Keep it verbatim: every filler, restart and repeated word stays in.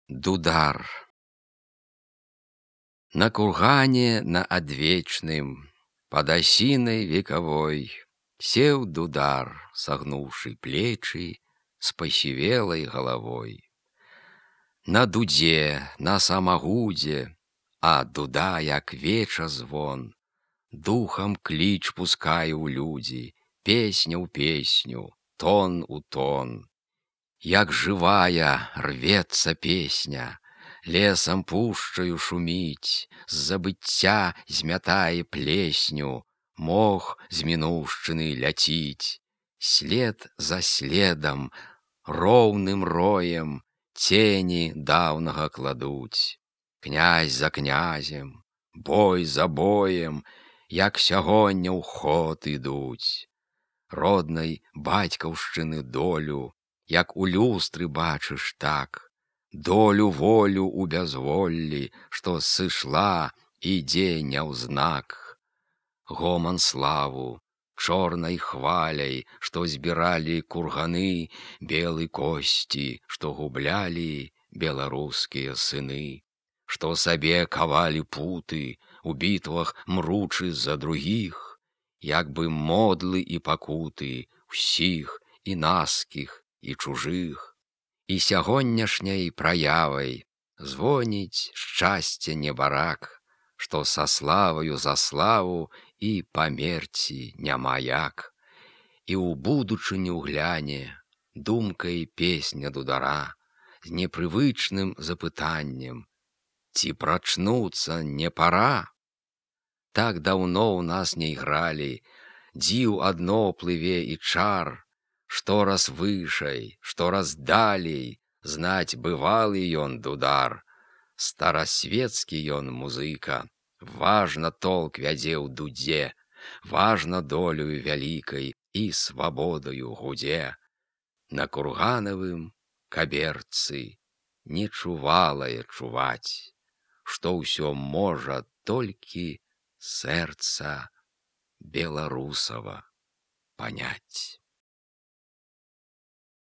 Дудар. На кургане на адвечным, под осиной вековой, сел дудар, согнувший плечи, с посивелой головой. На дуде, на самогуде, а дуда, як веча звон, духом клич пускае ў людзі, песня ў песню, тон у тон. Як живая рвется песня, лесом пушчаю шуміць, з забыцця змятае плесню, мох з мінуўшчыны ляціць. След за следам, роўным роем, цені даўнага кладуць. Князь за князем, бой за боем, як сягоння ў ход ідуць. Роднай бацькаўшчыны долю, як у люстры бачыш так, долю волю у бязволлі, што сышла, ідзе няўзнак. Гоман славу, чорнай хваляй, што збіралі курганы, белы косці, што гублялі беларускія сыны, што сабе кавалі путы, у бітвах мручы за другіх, як бы модлы і пакуты ўсіх і наскіх, і чужых. І сягонняшняй праявай звоніць шчасце небарак, што са славаю за славу і памерці няма як. І ў будучыню гляне думкай песня дудара з непрывычным запытаннем: ці прачнуцца не пара? Так даўно ў нас не ігралі, дзіў адно плыве і чар, што раз вышай, што раз далей, знаць бывалы ён дудар. Старасветскі ён музыка, важна толк вядзе ў дудзе, важна долю вялікай і свабодаю гудзе. На курганавым каберцы не чувалае чуваць, што ўсё можа толькі сэрца беларусава паняць.